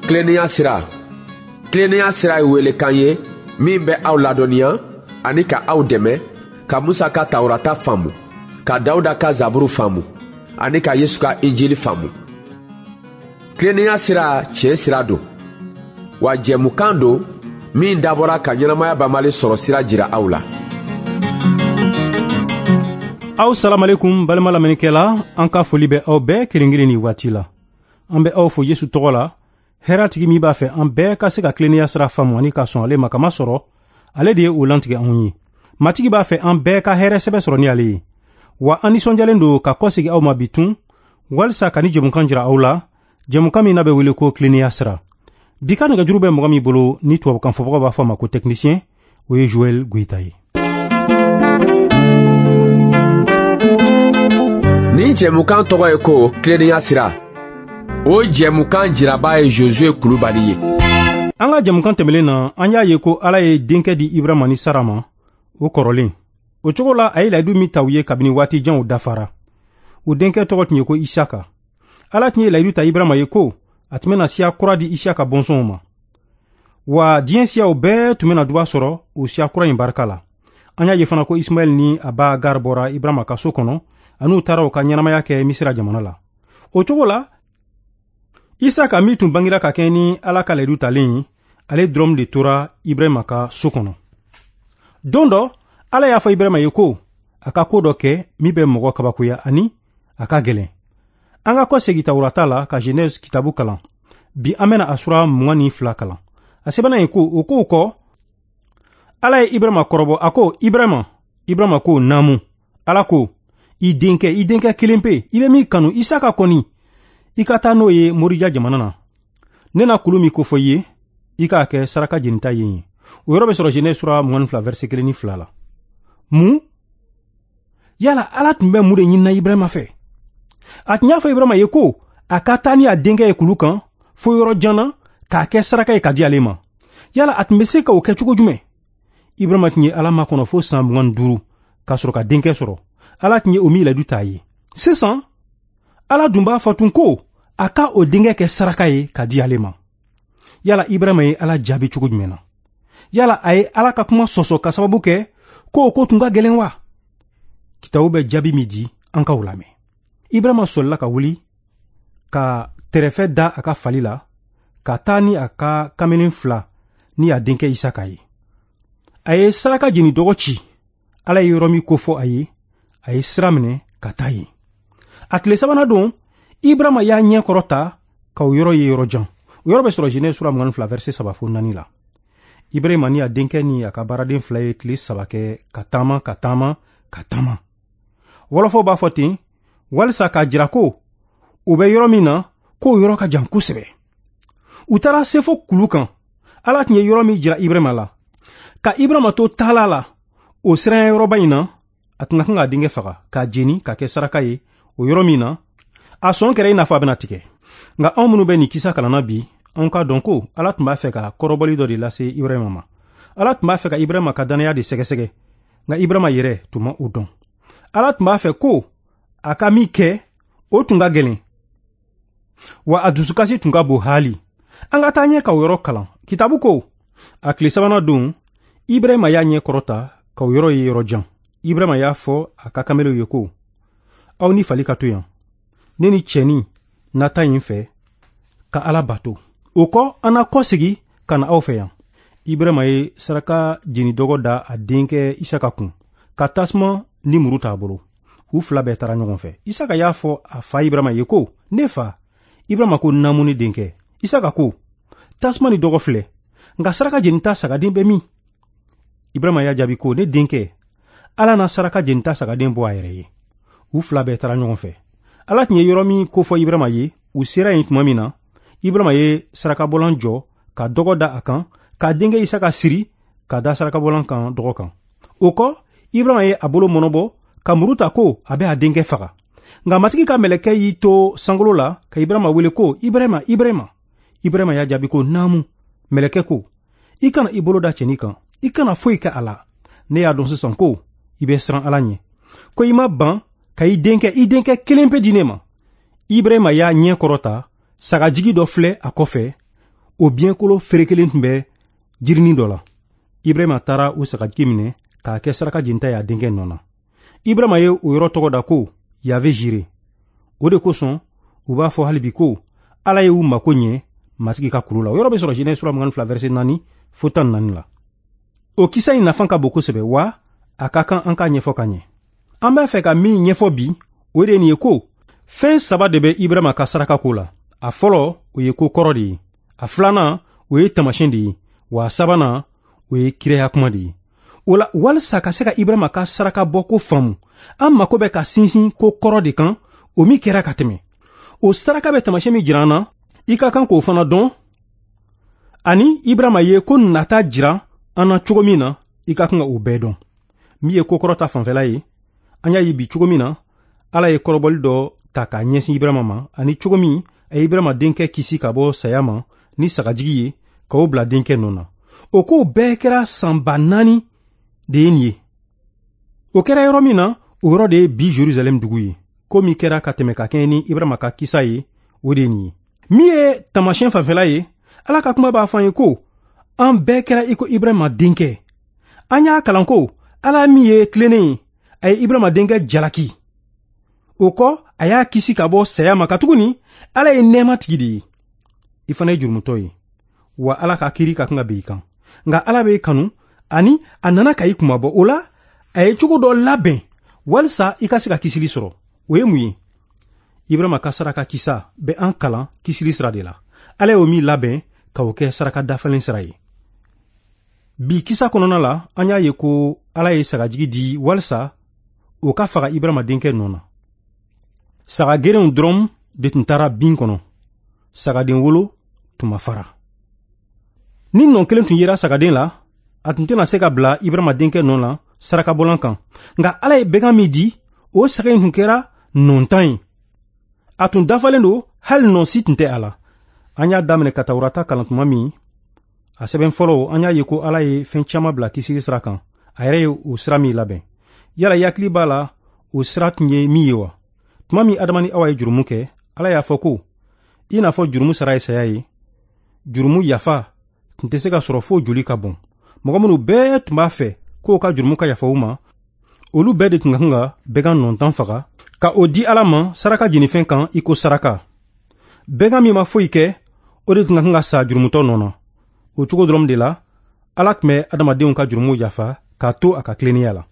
Tilennenya sira. Tilennenya sira ye welekan ye min bɛ aw ladɔnniya ani ka aw dɛmɛ ka Musa ka Tawurata faamu, ka Dawuda ka Zaburu faamu ani ka Yesu ka Injili faamu. Tilennenya sira tiɲɛ sira don, wa jɛmukan don min dabɔra ka ɲɛnamaya banbali sɔrɔ sira jira aw la. Aw salamalekum balima lamɛnnikɛla, an ka foli bɛ aw bɛɛ kelen kelen nin waati la. An bɛ aw fo Yesu tɔgɔ la, hɛrɛtigi min b'a fɛ an bɛɛ ka se ka tilennenya sira faamu ani ka sɔn ale ma kama sɔrɔ, ale de ye o lantigɛ anw ye. Matigi b'a fɛ an bɛɛ ka hɛrɛ sɛbɛ sɔrɔ ni ale ye. Wa an nisɔndiyalen don ka kɔsegi aw ma bi tun, walisa ka ni jɛmukan jira aw la, jɛmukan min n'a bɛ wele ko tilennenya sira. Bi ka nɛgɛjuru bɛ mɔgɔ min bolo ni tubabukan fɔbagaw b'a fɔ a ma ko technicien, o ye Joël Goïta ye. Nin jɛmukan tɔgɔ ye ko tilennenya sira. O jɛmukan jiraba ye Josué Kulubali ye. An ka jɛmukan tɛmɛlen na, an y'a ye ko Ala ye denkɛ di Ibrahima ni Sara ma, o kɔrɔlen. O cogo la, a ye layidu min ta u ye kabini waati janw dafara. O denkɛ tɔgɔ tun ye ko Isaka. Ala tun ye layidu ta Ibrahima ye ko a tun bɛna siya kura di Isaka bɔnsɔnw ma. Wa diɲɛ siyaw bɛɛ tun bɛna duba sɔrɔ o siya kura in barika la. An y'a ye fana ko Ismaɛl ni a ba Agar bɔra Ibrahima ka so kɔnɔ, an'u taara u ka ɲɛnamaya kɛ Misira jamana la. O cogo la, Isaka min tun bangira ka kɛ ni Ala ka layidu talen ye, ale dɔrɔn de tora Ibrahima ka so kɔnɔ. Don dɔ, Ala y'a fɔ Ibrahima ye ko a ka ko dɔ kɛ min bɛ mɔgɔ kabakoya ani a ka gɛlɛn. An ka kɔsegin Tawurata la ka Genèse kitabu kalan. Bi an bɛna a sura 22 kalan. A sɛbɛnna yen ko o kow kɔ, Ala ye Ibrahima kɔrɔbɔ, a ko Ibrahima, Ibrahima ko naamu. Ala ko i denkɛ, i denkɛ kelen pe, i bɛ min kanu, Isaka kɔni, i ka taa n'o ye Morija jamana na. Ne na kulu min kofɔ i ye, i k'a kɛ saraka jenita ye yen. O yɔrɔ bɛ sɔrɔ Genèse sura 22 verset 1 ni 2 la. Mun? Yala Ala tun bɛ mun de ɲinina Ibrahima fɛ? A tun y'a fɔ Ibrahima ye ko a ka taa ni a denkɛ ye kulu kan fo yɔrɔ jan na k'a kɛ saraka ye ka di ale ma. Yala a tun bɛ se ka o kɛ cogo jumɛn? Ibrahima tun ye Ala makɔnɔ fo san 25 k'a sɔrɔ ka denkɛ sɔrɔ. Ala tun ye o min layidu t'a ye. Sisan, Ala dun b'a fɔ tun ko a ka o denkɛ kɛ saraka ye ka di ale ma. Yala Ibrahima ye Ala jaabi cogo jumɛn na? Yala a ye Ala ka kuma sɔsɔ ka sababu kɛ ko o ko tun ka gɛlɛn wa? Kitabu bɛ jaabi min di, an k'aw lamɛn. Ibrahima sɔlila ka wuli ka tɛrɛfɛ da a ka fali la ka taa ni a ka kamalen fila ni a denkɛ Isaka ye. A ye saraka jeni dɔgɔ ci. Ala ye yɔrɔ min kofɔ a ye, a ye sira minɛ ka taa yen. A tile sabanan don, Ibrahima y'a ɲɛ kɔrɔta ka o yɔrɔ ye yɔrɔ jan. O yɔrɔ bɛ sɔrɔ Genèse sura 22 verset 3 fo 4 la. Ibrahima ni a denkɛ ni a ka baaraden fila ye tile saba kɛ ka taama ka taama ka taama. Wɔlɔfɔw b'a fɔ ten walisa k'a jira ko u bɛ yɔrɔ min na, k'o yɔrɔ ka jan kosɛbɛ. U taara se fo kulu kan. Ala tun ye yɔrɔ min jira Ibrahima la. Ka Ibrahima to taala la o siranya yɔrɔba in na, a tun ka kan k'a denkɛ faga k'a jeni k'a kɛ saraka ye o yɔrɔ min na, a sɔn kɛra i n'a fɔ a bɛna tigɛ. Nka anw minnu bɛ nin kisa kalanna bi, anw k'a dɔn ko Ala tun b'a fɛ ka kɔrɔbɔli dɔ de lase Ibrahima ma. Ala tun b'a fɛ ka Ibrahima ka dannaya de sɛgɛsɛgɛ, nka Ibrahima yɛrɛ tun ma o dɔn. Ala tun b'a fɛ ko a ka min kɛ, o tun ka gɛlɛn, wa a dusukasi tun ka bon haali. An ka taa ɲɛ ka o yɔrɔ kalan. Kitabu ko, a tile sabanan don, Ibrahima y'a ɲɛ kɔrɔta ka o yɔrɔ ye yɔrɔ jan. Ibrahima y'a fɔ a ka kamelenw ye ko, aw ni fali ka to yan, ne ni cɛnin na taa yen fɛ ka Ala bato. O kɔ, an na kɔsegi ka na aw fɛ yan. Ibrahima ye saraka jeni dɔgɔ da a denkɛ Isaka kun, ka tasuma ni muru t'a bolo. U fila bɛɛ taara ɲɔgɔn fɛ. Isaka y'a fɔ a fa Ibrahima ye ko, ne fa. Ibrahima ko, naamu ne denkɛ. Isaka ko, tasuma ni dɔgɔ filɛ, nka saraka jenita sagaden bɛ min? Ibrahima y'a jaabi ko, ne denkɛ, Ala na saraka jenita sagaden bɔ a yɛrɛ ye. U fila bɛɛ taara ɲɔgɔn fɛ. Ala tun ye yɔrɔ min kofɔ Ibrahima ye, u sera yen tuma min na, Ibrahima ye sarakabɔlan jɔ ka dɔgɔ da a kan, k'a denkɛ Isaka siri ka da sarakabɔlan kan dɔgɔ kan. O kɔ, Ibrahima ye a bolo mɔnɔbɔ ka muru ta ko a bɛ a denkɛ faga. Nka Matigi ka mɛlɛkɛ y'i to sankolo la ka Ibrahima wele ko, Ibrahima, Ibrahima. Ibrahima y'a jaabi ko, naamu. Mɛlɛkɛ ko, i kana i bolo da cɛnin kan, i kana foyi kɛ a la. Ne y'a dɔn sisan ko i bɛ siran Ala ɲɛ, ko i ma ban ka i denkɛ kelen pe di ne ma. Ibrahima y'a ɲɛ kɔrɔta, sagajigi dɔ filɛ a kɔfɛ. O biɲɛkolo ferekelen tun bɛ jirinin dɔ la. Ibrahima taara o sagajigi minɛ k'a kɛ saraka jenita ye a denkɛ nɔ na. Ibrahima ye o yɔrɔ tɔgɔ da ko Yave Jire. O de kosɔn u b'a fɔ hali bi ko Ala ye u mako ɲɛ Matigi ka kulu la. O yɔrɔ bɛ sɔrɔ Genèse sura 22 verset 4 fo 14 la. O kisa in nafa ka bon kosɛbɛ, wa a ka kan an k'a ɲɛfɔ ka ɲɛ. An b'a fɛ ka min ɲɛfɔ bi, o de ye nin ye ko fɛn saba de bɛ Ibrahima ka saraka ko la. A fɔlɔ, o ye ko kɔrɔ de ye. A filanan, o ye taamasiyɛn de ye. Wa a sabanan, o ye kiraya kuma de ye. O la, walisa ka se ka Ibrahima ka saraka bɔ ko faamu, an mako bɛ ka sinsin ko kɔrɔ de kan, o min kɛra ka tɛmɛ. O saraka bɛ taamasiyɛn min jira an na, i ka kan k'o fana dɔn, ani Ibrahima ye ko nata jira an na cogo min na, i ka kan ka o bɛɛ dɔn. Min ye ko kɔrɔ ta fanfɛla ye, an y'a ye bi cogo min na, Ala ye kɔrɔbɔli dɔ ta k'a ɲɛsin Ibrahima ma, ani cogo min a ye Ibrahima denkɛ kisi ka bɔ saya ma ni sagajigi ye, k'o bila denkɛ nɔ na. O kow bɛɛ kɛra san 4000 de ye nin ye. O kɛra yɔrɔ min na, o yɔrɔ de ye bi Jerusalɛm dugu ye. Ko min kɛra ka tɛmɛ ka kɛɲɛ ni Ibrahima ka kisa ye, o de ye nin ye. Min ye taamasiyɛn fanfɛla ye, Ala ka kuma b'a fɔ an ye ko an bɛɛ kɛra i ko Ibrahima denkɛ. An y'a kalan ko Ala min ye tilennen ye, a ye Ibrahima denkɛ jalaki. O kɔ, a y'a kisi ka bɔ saya ma, katuguni Ala ye nɛɛma tigi de ye. I fana ye jurumutɔ ye, wa Ala ka kiiri ka kan ka bin i kan. Nka Ala b'e kanu, ani a nana ka i kunmabɔ. O la, a ye cogo dɔ labɛn walisa i ka se ka kisili sɔrɔ. O ye mun ye? Ibrahima ka saraka kisa bɛ an kalan kisili sira de la. Ala y'o min labɛn ka o kɛ saraka dafalen sira ye. Bi kisa kɔnɔna la, an y'a ye ko Ala ye sagajigi di walisa o ka faga Ibrahima denkɛ nɔ na. Saga gerenw dɔrɔn de tun taara bin kɔnɔ. Sagaden wolo tun ma fara. Ni nɔ kelen tun yera sagaden la, a tun tɛna se ka bila Ibrahima denkɛ nɔ na sarakabɔlan kan. Nka Ala ye bɛgan min di, o saga in tun kɛra nɔntan ye. A tun dafalen don, hali nɔ si tun tɛ a la. An y'a daminɛ ka Tawurata kalan tuma min, a sɛbɛn fɔlɔ, an y'a ye ko Ala ye fɛn caman bila kisili sira kan. A yɛrɛ ye o sira min labɛn. Yala i hakili b'a la o sira tun ye min ye wa? Tuma min Adama ni Awa ye jurumu kɛ, Ala y'a fɔ ko i n'a fɔ jurumu sara ye saya ye, jurumu yafa tun tɛ se ka sɔrɔ fo joli ka bɔn. Mɔgɔ minnu bɛɛ tun b'a fɛ k'o ka jurumu ka yafa u ma, olu bɛɛ de tun ka kan ka bɛgan nɔntan faga ka o di Ala ma saraka jenifɛn kan i ko saraka. Bɛgan min ma foyi kɛ, o de tun ka kan ka sa jurumutɔ nɔ na. O cogo dɔrɔn de la, Ala tun bɛ adamadenw ka jurumu yafa k'a to a ka tilennenya la.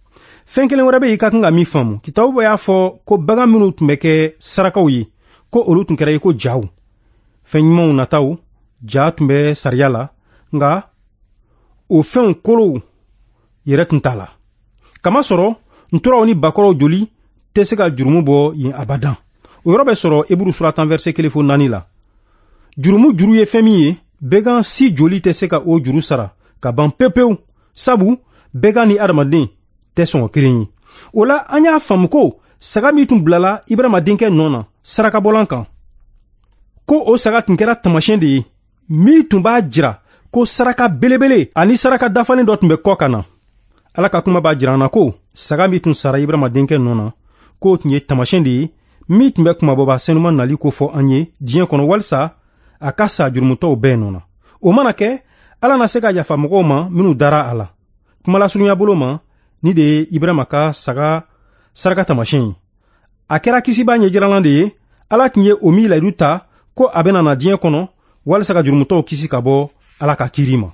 Fɛn kelen wɛrɛ bɛ yen i ka kan ka min faamu. Kitabu y'a fɔ ko bagan minnu tun bɛ kɛ sarakaw ye, ko olu tun kɛra i ko jaw. Fɛn ɲumanw nataw, ja tun bɛ sariya la, nka o fɛnw kolow yɛrɛ tun t'a la. Kamasɔrɔ nturaw ni bakɔrɔw joli tɛ se ka jurumu bɔ yen abadan. O yɔrɔ bɛ sɔrɔ Eburu sura 10 verset 1 fo 4 la. Jurumu juru ye fɛn min ye, bɛgan si joli tɛ se ka o juru sara ka ban pewu pewu, sabu bɛgan ni adamaden tɛ sɔngɔ kelen ye. O la, an y'a faamu ko saga min tun bilala Ibrahima denkɛ nɔ na sarakabɔlan kan, ko o saga tun kɛra taamasiyɛn de ye min tun b'a jira ko saraka belebele ani saraka dafalen dɔ tun bɛ kɔ ka na. Ala ka kuma b'a jira an na ko saga min tun sara Ibrahima denkɛ nɔ na, k'o tun ye taamasiyɛn de ye min tun bɛ kunmabɔba senuman nali ko fɔ an ye diɲɛ kɔnɔ, walisa a ka sa jurumutɔw bɛɛ nɔ na. O mana kɛ, Ala na se ka yafa mɔgɔw ma minnu dara a la. Kumalasurunya bolo ma, ni de ye Ibrahima ka saga saraka taamasiyɛn ye. A kɛra kisibaa ɲɛjiralan de ye. Ala tun ye o min layidu ta ko a bɛna na diɲɛ kɔnɔ walisa ka jurumutɔw kisi ka bɔ Ala ka kiiri ma.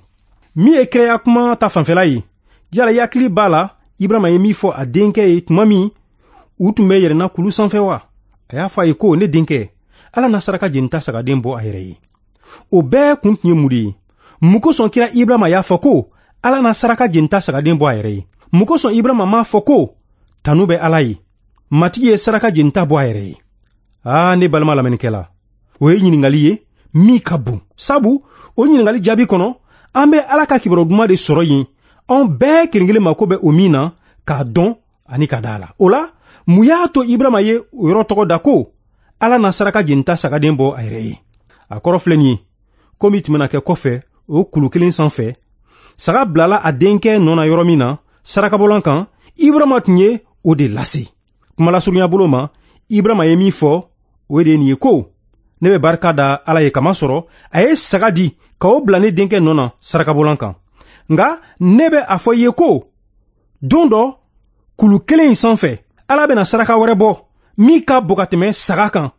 Min ye kiraya kuma ta fanfɛla ye, yala i hakili b'a la Ibrahima ye min fɔ a denkɛ ye tuma min u tun bɛ yɛlɛnna kulu sanfɛ wa? A y'a fɔ a ye ko ne denkɛ, Ala na saraka jenita sagaden bɔ a yɛrɛ ye. O bɛɛ kun tun ye mun de ye? Mun kosɔn kira Ibrahima y'a fɔ ko Ala na saraka jenita sagaden bɔ a yɛrɛ ye? Mun kosɔn Ibrahima m'a fɔ ko tanu bɛ Ala ye, Matigi ye saraka jenita bɔ a yɛrɛ ye? Aa, ne balima lamɛnnikɛla, o ye ɲininkali ye min ka bon, sabu o ɲininkali jaabi kɔnɔ, an bɛ Ala ka kibaru duman de sɔrɔ yen, anw bɛɛ kelen kelen mako bɛ o min na k'a dɔn ani ka da a la. O la, mun y'a to Ibrahima ye o yɔrɔ tɔgɔ da ko Ala na saraka jenita sagaden bɔ a yɛrɛ ye? A kɔrɔ filɛ nin ye, ko min tun bɛna kɛ kɔfɛ o kulu kelen sanfɛ, saga bilala a denkɛ nɔ na yɔrɔ min na sarakabɔlan kan, Ibrahima tun ye o de lase. Kumalasurunya bolo ma, Ibrahima ye min fɔ, o de ye nin ye ko Ne bɛ barika da Ala ye kamasɔrɔ a ye saga di ka o bila ne denkɛ nɔ na sarakabolan kan. Nka ne bɛ a fɔ i ye ko don dɔ kulu kelen in sanfɛ, Ala bɛna saraka wɛrɛ bɔ min ka bon ka tɛmɛ saga kan,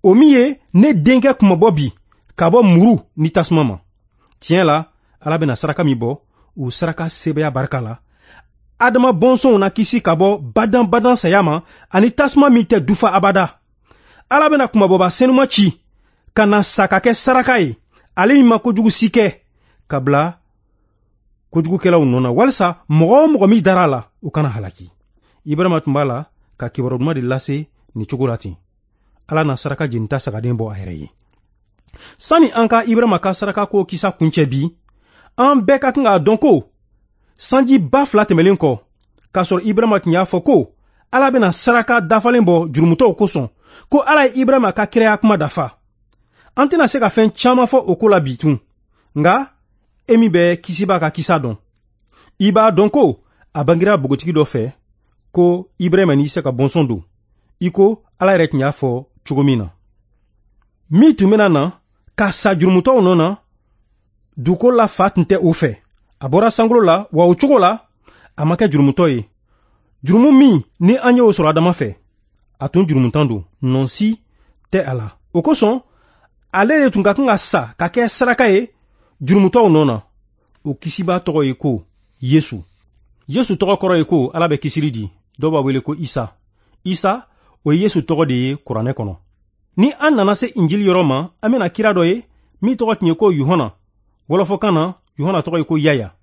o min ye ne denkɛ kunmabɔ bi ka bɔ muru ni tasuma ma. Tiɲɛ la, Ala bɛna saraka min bɔ, o saraka sebaaya barika la, Adama bɔnsɔnw na kisi ka bɔ badan-badan saya ma ani tasuma min tɛ dufa abada. Ala bɛna kunmabɔba senuma ci ka na sa ka kɛ saraka ye, ale min ma kojugu si kɛ, ka bila kojugukɛlaw nɔ na, walisa mɔgɔ o mɔgɔ min dara a la, o kana halaki. Ibrahima tun b'a la ka kibaru duman de lase nin cogo la ten. Ala na saraka jenita sagaden bɔ a yɛrɛ ye. Sani an ka Ibrahima ka saraka ko kisa kuncɛ bi, an bɛɛ ka kan k'a dɔn ko sanji 2000 tɛmɛlen kɔ, k'a sɔrɔ Ibrahima tun y'a fɔ ko Ala bɛna saraka dafalen bɔ jurumutɔw kosɔn, ko Ala ye Ibrahima ka kiraya kuma dafa. An tɛna se ka fɛn caman fɔ o ko la bi tun, nka e min bɛ kisiba ka kisa dɔn, i b'a dɔn ko a bangira npogotigi dɔ fɛ ko Ibrahima ni Isaka bɔnsɔn don, i ko Ala yɛrɛ tun y'a fɔ cogo min na. Min tun bɛna na ka sa jurumutɔw nɔ na, dugukolo la fa tun tɛ o fɛ. A bɔra sankolo la, wa o cogo la a ma kɛ jurumutɔ ye. Jurumu min ni an y'o sɔrɔ Adama fɛ, a tun jurumutan don, nɔ si tɛ a la. O kosɔn ale de tun ka kan ka sa ka kɛ saraka ye jurumutɔw nɔ na. O kisiba tɔgɔ ye ko Yesu. Yesu tɔgɔ kɔrɔ ye ko Ala bɛ kisili di. Dɔw b'a wele ko Isa. Isa, o ye Yesu tɔgɔ de ye kuranɛ kɔnɔ. Ni an nana se Injili yɔrɔ ma, an bɛna kira dɔ ye min tɔgɔ tun ye ko Yohana. Wɔlɔfɔkan na, Yohana tɔgɔ ye ko Yaya.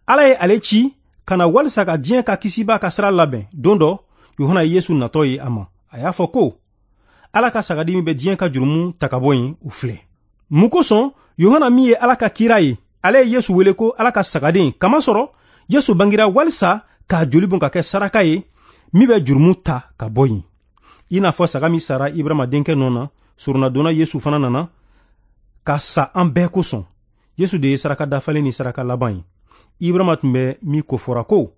Ala ye ale ci ka na walisa ka diɲɛ ka kisiba ka sira labɛn. Don dɔ, Yohana ye Yesu natɔ ye a ma. A y'a fɔ ko Ala ka sagadi min bɛ diɲɛ ka jurumu ta ka bɔ yen, o filɛ. Mun kosɔn Yohana min ye Ala ka kira ye, ale ye Yesu wele ko Ala ka sagaden, kamasɔrɔ Yesu bangira walisa k'a joli bɔn ka kɛ saraka ye min bɛ jurumu ta ka bɔ yen. I n'a fɔ saga min sara Ibrahima denkɛ nɔ na, soronnadonna Yesu fana nana ka sa an bɛɛ kosɔn. Yesu de ye saraka dafalen ni saraka laban ye. Ibrahima tun bɛ min kofɔra ko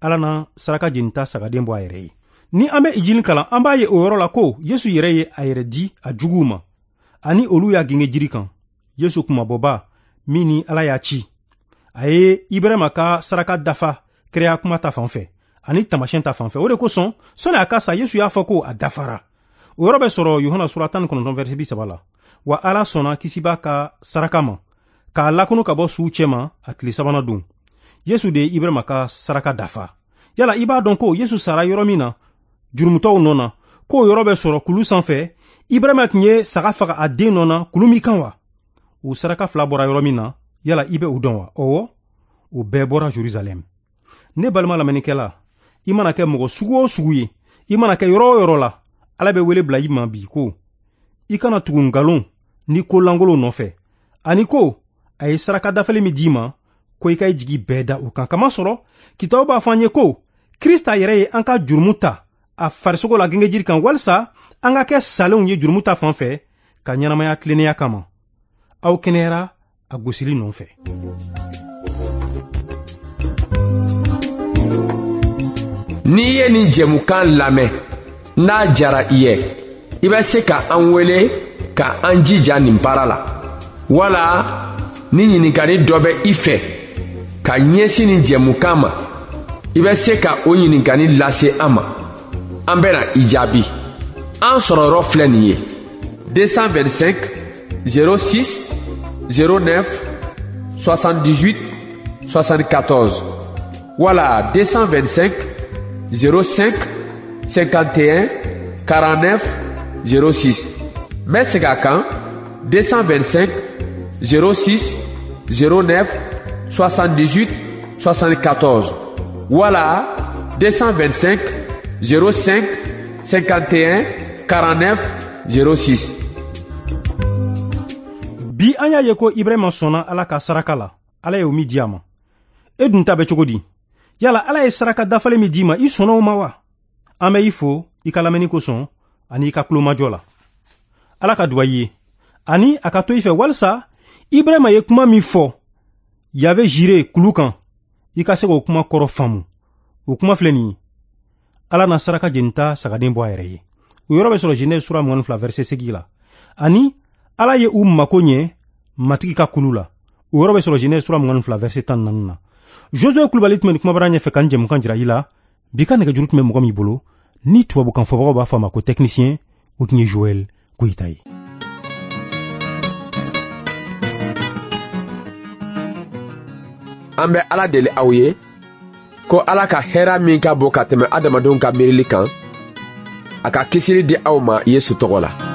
Ala na saraka jenita sagaden bɔ a yɛrɛ ye. Ni an bɛ Injili kalan, an b'a ye o yɔrɔ la ko Yesu yɛrɛ ye a yɛrɛ di a juguw ma, ani olu y'a genge jiri kan. Yesu kunmabɔba min ni Ala y'a ci, a ye Ibrahima ka saraka dafa kiraya kuma ta fan fɛ ani taamasiyɛn ta fan fɛ. O de kosɔn sɔnni a ka sa, Yesu y'a fɔ ko a dafara. O yɔrɔ bɛ sɔrɔ Yohana sura 19 verset 30 la. Wa Ala sɔnna kisiba ka saraka ma k'a lakunu ka bɔ suw cɛma a tile sabanan don. Yesu de ye Ibrahima ka saraka dafa. Yala i b'a dɔn ko Yesu sara yɔrɔ min na jurumutɔw nɔ na, k'o yɔrɔ bɛ sɔrɔ kulu sanfɛ, Ibrahima tun ye saga faga a den nɔ na kulu min kan wa? O saraka fila bɔra yɔrɔ min na, yala i bɛ o dɔn wa? Ɔwɔ, o bɛɛ bɔra Jerusalɛm. Ne balima lamɛnnikɛla, i mana kɛ mɔgɔ sugu o sugu ye, i mana kɛ yɔrɔ o yɔrɔ la, Ala bɛ wele bila i ma bi ko i kana tugu nkalon ni ko lankolon nɔfɛ, ani ko a ye saraka dafalen min d'i ma, ko i ka i jigi bɛɛ da o kan. Kamasɔrɔ kitabu b'a fɔ an ye ko Krista yɛrɛ ye an ka jurumu ta a farisogo la gengejiri kan, walisa an ka kɛ salenw ye jurumu ta fan fɛ ka ɲɛnamaya tilennenya kama. Aw kɛnɛyara a gosili nɔfɛ. N'i ye nin jɛmukan lamɛn, n'a jara i ye, i bɛ se ka an wele ka an jija nin baara la. Wala ni ɲininkali dɔ bɛ i fɛ ka ɲɛsin nin jɛmukan ma, i bɛ se ka o ɲininkali lase an ma. An bɛna i jaabi. An sɔrɔ yɔrɔ filɛ nin ye: 225 06 09 78 74 wala 225 05 51 49 06. N bɛ segin a kan: 225 06 09 78 74 wala 225 05 51 49 06. Bi an y'a ye ko Ibrahima sɔnna Ala ka saraka la, Ala ye o min di a ma. E dun ta bɛ cogo di? Yala Ala ye saraka dafalen min d'i ma, i sɔnna o ma wa? An bɛ i fo i ka lamɛnni kosɔn ani i ka tulomajɔ la. Ala ka duba i ye ani a ka to i fɛ, walisa Ibrahima ye kuma min fɔ Yave Jire kulu kan, i ka se k'o kuma kɔrɔ faamu. O kuma filɛ nin ye: Ala na saraka jenita sagaden bɔ a yɛrɛ ye. O yɔrɔ bɛ sɔrɔ Genèse sura 22 verset 8 la. Ani Ala ye u mako ɲɛ Matigi ka kulu la. O yɔrɔ bɛ sɔrɔ Genèse sura 22 verset 14 na. Josue Kulubali tun bɛ nin kumabara ɲɛfɛ ka nin jɛmukan jira i la. Bi ka nɛgɛjuru tun bɛ mɔgɔ min bolo, ni tubabukan fɔbagaw b'a fɔ a ma ko technicien, o tun ye Joël Goyita ye. An bɛ Ala deli aw ye ko Ala ka hɛra min ka bon ka tɛmɛ adamadenw ka miirili kan, a ka kisili di aw ma Yesu tɔgɔ la.